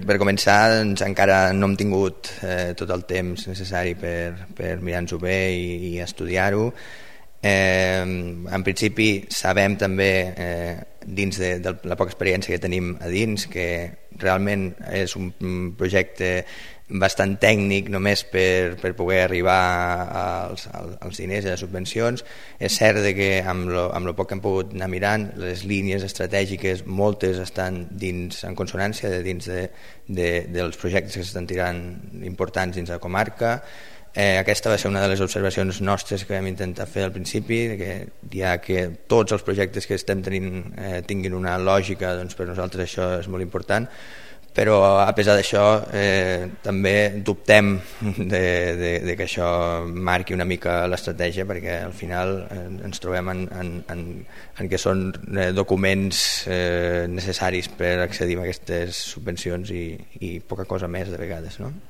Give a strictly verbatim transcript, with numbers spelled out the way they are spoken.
per començar, doncs, encara no hem tingut eh, tot el temps necessari per, per mirar-nos-ho bé i, i estudiar-ho. Eh, en principi sabem també, eh, dins de, de la poca experiència que tenim a dins, que realment és un projecte bastant tècnic només per, per poder arribar als, als diners i a les subvencions. És cert que amb lo, amb lo poc que hem pogut anar mirant, les línies estratègiques moltes estan dins, en consonància de, dins de, de, dels projectes que s'estan tirant importants dins la comarca. Eh, aquesta va ser una de les observacions nostres que vam intentar fer al principi, que ja que tots els projectes que estem tenint eh, tinguin una lògica, doncs per nosaltres això és molt important. Però a pesar d'això eh, també dubtem de, de, de que això marqui una mica l'estratègia, perquè al final eh, ens trobem en, en, en, en que són eh, documents eh, necessaris per accedir a aquestes subvencions i, i poca cosa més de vegades, no?